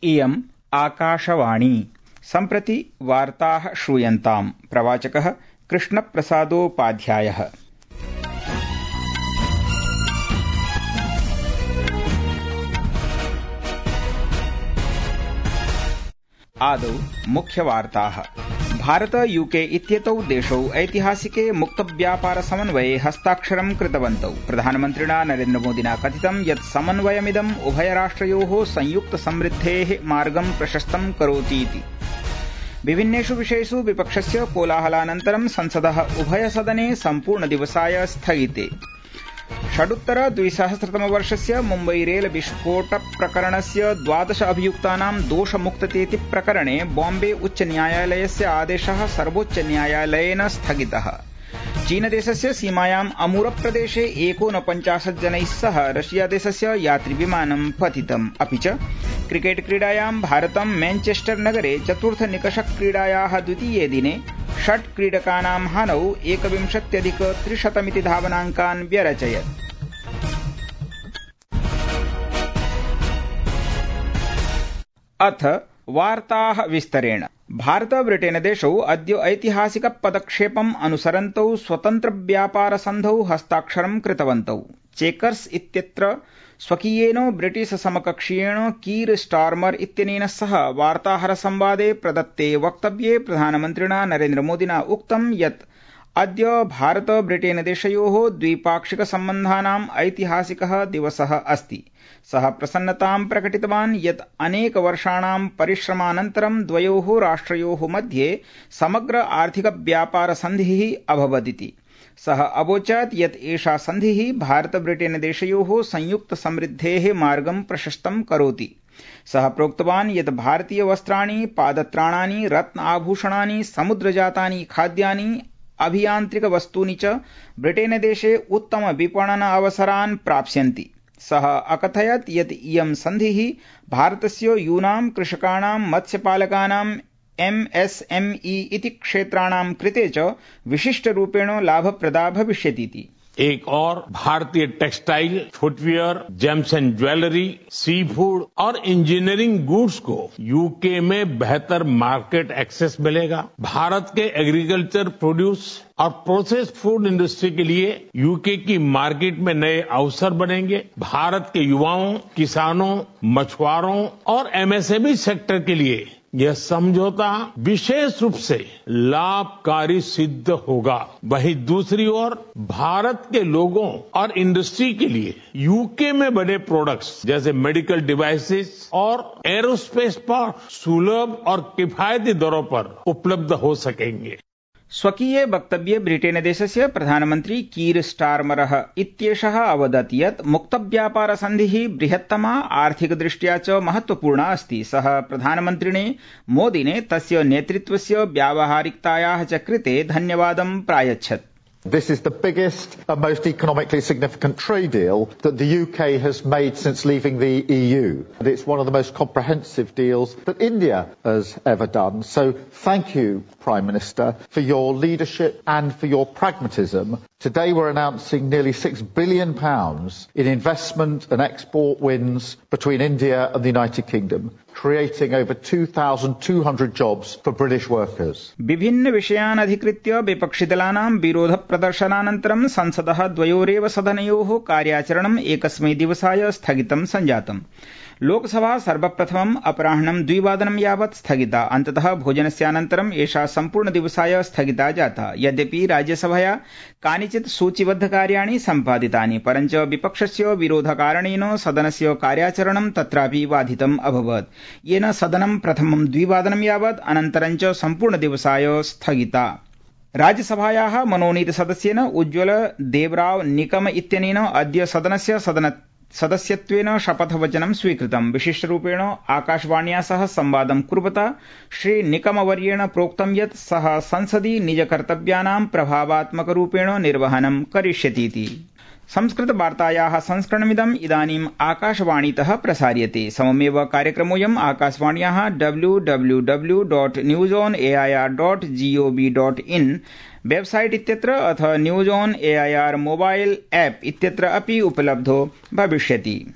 इयम् आकाशवाणी। सम्प्रति वार्ताः श्रूयन्ताम्। प्रवाचकः कृष्णप्रसादोपाध्यायः। आदौ मुख्यवार्ताः। भारत यूके इत्येतौ देशौ ऐतिहासिके मुक्तव्यापार समन्वये हस्ताक्षरं कृतवन्तौ। प्रधानमन्त्रिणा नरेन्द्रमोदिना कथितं यत् समन्वयमिदम् उभयराष्ट्रयोः संयुक्त समृद्धेः मार्गं प्रशस्तं करोतीति। विभिन्नेषु विषयेषु विपक्षस्य कोलाहलानन्तरं संसदः उभयसदने सम्पूर्णदिवसाय स्थगिते। षडुत्तर-2000तमवर्षस्य मुम्बई रेल विस्फोट प्रकरणस्य 12 अभियुक्तानां दोषमुक्ततेति प्रकरणे बॉम्बे उच्च न्यायालयस्य आदेशः सर्वोच्च न्यायालयेन स्थगितः। चीनदेशस्य सीमायाम् अमूरप्रदेशे 49 जनैः सह रशियादेशस्य यात्रिविमानं पतितम्। अपि च क्रिकेट क्रीडायां भारतं मैनचेस्टर नगरे चतुर्थनिकषक्रीडायाः द्वितीये दिने 6 क्रीडकानां हानौ 21,300 धावनाङ्कान् व्यरचयत्। अथ वार्ताः विस्तरेण। भारत ब्रिटेन देशौ अद्य ऐतिहासिक पदक्षेपम् अनुसरन्तौ स्वतन्त्र व्यापार सन्धौ हस्ताक्षरं कृतवन्तौ। चेकर्स इत्यत्र स्वकीयेन ब्रिटिश समकक्षीयेण कीर स्टार्मर इत्यनेन सह वार्ताहर संवादे प्रदत्ते वक्तव्ये प्रधानमन्त्रिणा नरेन्द्रमोदिना उक्तं यत् अद्य भारत ब्रिटेन देशयोः द्विपाक्षिक सम्बन्धानाम् ऐतिहासिकः दिवसः अस्ति। सः प्रसन्नतां प्रकटितवान् यत् अनेकवर्षाणां परिश्रमानन्तरं द्वयोः राष्ट्रयोः मध्ये समग्र आर्थिक व्यापार सन्धिः अभवदिति। सः अवोचत् यत् एषा सन्धिः भारत ब्रिटेन देशयोः संयुक्त समृद्धेः मार्गं प्रशस्तं करोति। सः प्रोक्तवान् यत् भारतीय वस्त्राणि, पादत्राणानि, रत्न आभूषणानि, समुद्रजातानि खाद्यानि, अभियान्त्रिक वस्तूनि च ब्रिटेन देशे उत्तम विपणन अवसरान् प्राप्स्यन्ति। सः अकथयत् यत् इयं सन्धिः भारतस्य यूनां कृषकाणां, मत्स्यपालकानां, MSME इति क्षेत्राणां कृते च विशिष्टरूपेण लाभप्रदा भविष्यतीति। एक और भारतीय textile, footwear, gems and jewellery, sea food और इंजीनियरिंग गुड्स को यूके में बेहतर मार्केट एक्सेस मिलेगा। भारत के एग्रीकल्चर प्रोड्यूस और प्रोसेस फूड इंडस्ट्री के लिए यूके की मार्केट में नए अवसर बनेंगे। भारत के युवाओं, किसानों, मछुआरों और MSME सेक्टर के लिए यह समझौता विशेष रूप से लाभकारी सिद्ध होगा। वहीं दूसरी ओर भारत के लोगों और इंडस्ट्री के लिए यूके में बने प्रोडक्ट्स जैसे मेडिकल डिवाइसेस और एरोस्पेस पार्ट्स सुलभ और किफायती दरों पर उपलब्ध हो सकेंगे। स्वकीये वक्तव्ये ब्रिटेन देशस्य प्रधानमन्त्री कीर स्टार्मरः इत्येषः अवदत् यत् मुक्तव्यापार सन्धिः बृहत्तमा आर्थिकदृष्ट्या च महत्वपूर्णा अस्ति। सः प्रधानमन्त्रिणे मोदिने तस्य नेतृत्वस्य व्यावहारिकतायाः च कृते धन्यवादं प्रायच्छत्। This is the biggest and most economically significant trade deal that the UK has made since leaving the EU. And it's one of the most comprehensive deals that India has ever done. So thank you, Prime Minister, for your leadership and for your pragmatism. Today we're announcing nearly £6 billion in investment and export wins between India and the United Kingdom, creating over 2,200 jobs for British workers. विभिन्न विषयान् अधिकृत्य विपक्षिदलानां विरोध प्रदर्शनानन्तरं संसदः द्वयोरेव सदनयोः कार्याचरणम् एकस्मै दिवसाय स्थगितं सञ्जातम्। लोकसभा सर्वप्रथमम् अपराह्नं 2 यावत् स्थगिता। अन्ततः भोजनस्यानन्तरम् एषा सम्पूर्णदिवसाय स्थगिता जाता। यद्यपि राज्यसभया कानिचित् सूचिबद्ध कार्याणि सम्पादितानि, परञ्च विपक्षस्य विरोधकारणेन सदनस्य कार्याचरणं तत्रापि बाधितम् अभवत्, येन सदनं प्रथमं 2 यावत् अनन्तरं च सम्पूर्णदिवसाय स्थगिता। राज्यसभायाः मनोनीतसदस्येन उज्ज्वल देवराव निकम इत्यनेन अद्य सदनस्य सदस्यत्वेन शपथवचनं स्वीकृतम्। विशिष्टरूपेण आकाशवाण्या सह संवादं कुर्वता श्री निकमवर्येण प्रोक्तं यत् सः संसदि निजकर्तव्यानां प्रभावात्मकरूपेण निर्वहनं करिष्यतीति। संस्कृतवार्तायाः संस्करणमिदम् इदानीम् आकाशवाणीतः प्रसार्यते। सममेव कार्यक्रमोऽयम् आकाशवाण्याः www.newsonair.gov.in वेबसाइट इत्यत्र अथ news on AIR mobile app इत्यत्र अपि उपलब्धो भविष्यति।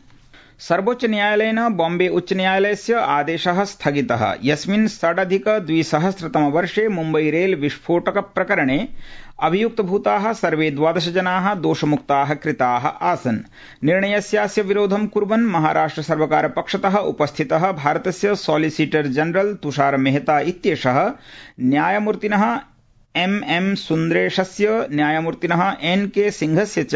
सर्वोच्च न्यायालयेन बॉम्बे उच्च न्यायालयस्य आदेशः स्थगितः यस्मिन् 2006 वर्षे मुम्बई रेल विस्फोटक प्रकरणे अभियुक्तभूताः सर्वे 12 जनाः दोषमुक्ताः कृताः आसन्। निर्णयस्यास्य विरोधं कुर्वन् महाराष्ट्र सर्वकार पक्षतः उपस्थितः भारतस्य सॉलिसिटर जनरल तुषार मेहता इत्येषः न्यायमूर्तिनः MM सुन्दरेशस्य न्यायमूर्तिनः NK सिंहस्य च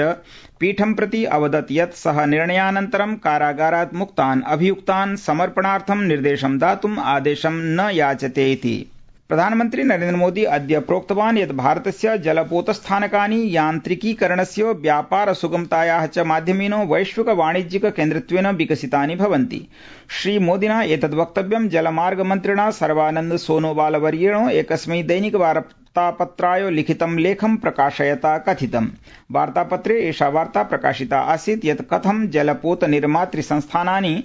पीठं प्रति अवदत् यत् सः निर्णयानन्तरं कारागारात् मुक्तान् अभियुक्तान् समर्पणार्थं निर्देशं दातुम् आदेशं न याचते इति। प्रधानमन्त्री नरेन्द्र मोदी अद्य प्रोक्तवान् यत् भारतस्य जलपोतस्थानकानि यान्त्रिकीकरणस्य व्यापार सुगमतायाः च माध्यमेन वैश्विक वाणिज्यिक केन्द्रत्वेन विकसितानि भवन्ति। श्रीमोदिना एतद् वक्तव्यं जलमार्ग मन्त्रिणा सर्वानन्द सोनोवाल वर्येण एकस्मै दैनिक वार्तापत्राय लिखितं लेखं प्रकाशयता कथितम्। वार्तापत्रे एषा वार्ता प्रकाशिता आसीत् यत् कथं जलपोत निर्मातृ संस्थानानि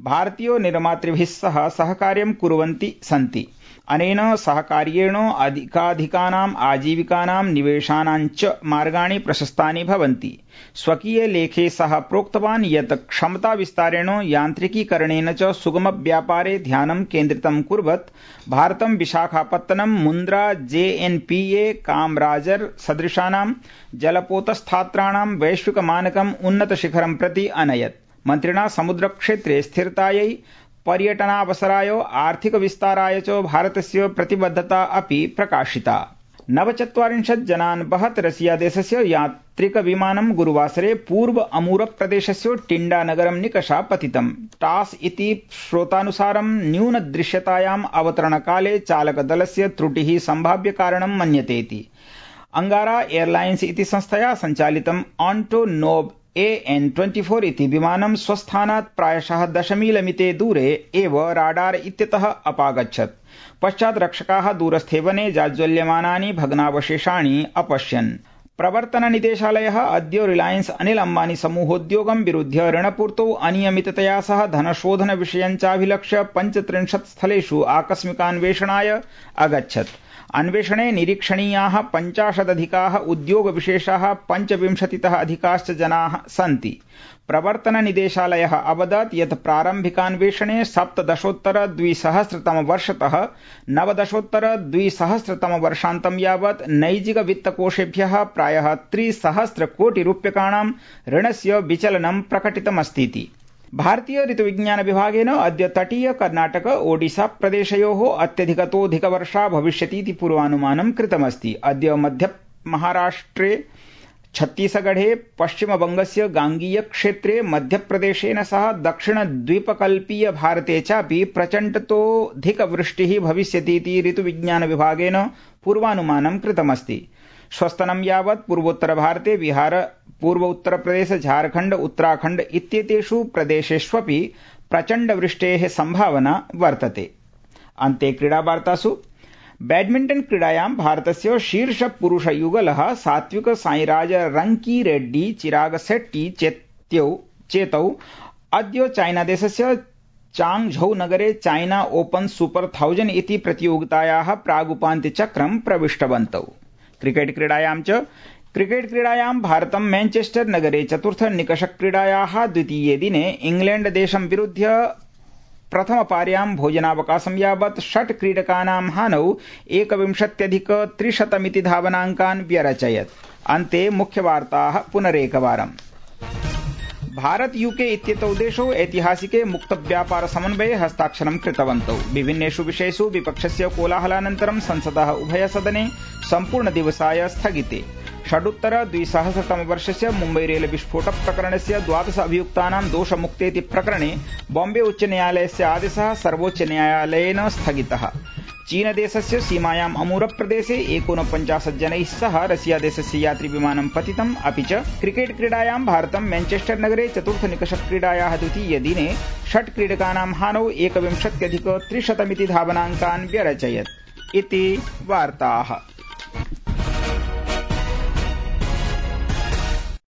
भारतीय निर्मातृभिः सह सहकार्यं कुर्वन्ति सन्ति। अनेन सहकार्येण अधिकाधिकानाम् आजीविकानां निवेशानां च मार्गाणि प्रशस्तानि भवन्ति। स्वकीय लेखे सः प्रोक्तवान् यत् क्षमता विस्तारेण यान्त्रिकीकरणेन च सुगम व्यापारे ध्यानं केन्द्रितं कुर्वत् भारतं विशाखापत्तनं मुन्द्रा JNPA कामराजर सदृशानां जलपोतस्थात्राणां वैश्विक मानकम् उन्नत शिखरं प्रति अनयत्। मन्त्रिणा समुद्रक्षेत्रे स्थिरतायै पर्यटनावसराय आर्थिक विस्ताराय च भारतस्य प्रतिबद्धता अपि प्रकाशिता। 49 जनान् वहत् रशिया देशस्य यात्रिकविमानं गुरुवासरे पूर्व अमूर प्रदेशस्य टिण्डा नगरं निकषा पतितम्। टास् इति श्रोतानुसारं न्यूनदृश्यतायाम् अवतरणकाले चालकदलस्य त्रुटिः सम्भाव्य कारणं मन्यते इति। अंगारा एयरलाइन्स इति संस्थया सञ्चालितं ऑन्टोनोव AN-24 इति विमानं स्वस्थानात् प्रायशः 10 मीलमिते दूरे एव राडार इत्यतः अपागच्छत्। पश्चात् रक्षकाः दूरस्थे वने जाज्वल्यमानानि भग्नावशेषाणि अपश्यन्। प्रवर्तन निदेशालयः अद्य रिलायंस अनिल अंबानी समूहोद्योगं विरुध्य ऋणपूर्तौ अनियमिततया सह धनशोधन विषयं चाभिलक्ष्य 35 स्थलेषु आकस्मिकान्वेषणाय अगच्छत्। अन्वेषणे निरीक्षणीयाः 50 उद्योगविशेषाः 25 अधिकाश्च जनाः सन्ति। प्रवर्तन निदेशालयः अवदत् यत् प्रारम्भिकान्वेषणे 17-2000 वर्षतः 19-2000 वर्षान्तं यावत् नैजिक वित्तकोषेभ्यः प्रायः 300 कोटि रूप्यकाणां ऋणस्य विचलनं प्रकटितमस्तीति। भारतीय ऋतुविज्ञान विभागेन अद्य तटीय कर्नाटक ओडिशा प्रदेशयोः अत्यधिकतोऽधिक वर्षा भविष्यतीति पूर्वानुमानं कृतमस्ति। अद्य मध्य महाराष्ट्रे छत्तीसगढ़े पश्चिमबंगस्य गांगीय क्षेत्रे मध्यप्रदेशेन सह दक्षिण द्वीपकल्पीय भारते चापि प्रचण्डतोऽधिक वृष्टिः भविष्यतीति ऋतुविज्ञान विभागेन पूर्वानुमानं कृतमस्ति। श्वस्तनं यावत् पूर्वोत्तर भारते बिहार पूर्व उत्तर प्रदेश झारखण्ड उत्तराखण्ड इत्येतेषु प्रदेशेष्वपि प्रचण्ड वृष्टेः संभावना वर्तते। अन्ते क्रीडावार्तासु बैडमिण्टन क्रीडायां भारतस्य शीर्ष पुरुष युगलः सात्विक साईराज रंकी रेड्डी चिराग शेट्टी चेतौ अद्य चाइनादेशस्य चांगझौ नगरे चाइना ओपन सुपर 1000 इति प्रतियोगितायाः प्रागुपान्त्यचक्रं प्रविष्टवन्तौ। क्रिकेट क्रीडायां भारतं मैनचेस्टर नगरे चतुर्थ निकषक्रीडायाः द्वितीये दिने इंग्लैंड देशं विरुध्य प्रथमपार्यां भोजनावकाशं यावत् 6 क्रीडकानां हानौ 21,300 धावनाङ्कान् व्यरचयत्। अन्ते मुख्यवार्ताः पुनरेकवारम्। भारत यूके इत्येतौ देशौ ऐतिहासिके मुक्त व्यापार समन्वये हस्ताक्षरं कृतवन्तौ। विभिन्नेषु विषयेषु विपक्षस्य कोलाहलानन्तरं संसदः उभयसदने सम्पूर्णदिवसाय स्थगिते। षडुत्तर-2000 वर्षस्य मुम्बई रेल विस्फोट प्रकरणस्य 12 अभियुक्तानां दोषमुक्तेति प्रकरणे बॉम्बे उच्च न्यायालयस्य आदेशः सर्वोच्च न्यायालयेन स्थगितः। चीनदेशस्य सीमायाम् अमूर प्रदेशे 49 जनैः सह रशिया देशस्य यात्रिविमानं पतितम्। अपि च क्रिकेट क्रीडायां भारतं मैनचेस्टर नगरे चतुर्थ निकषक्रीडायाः द्वितीये दिने 6 क्रीडकानां हानौ 21,300 धावनाङ्कान् व्यरचयत्। इति वार्ताः।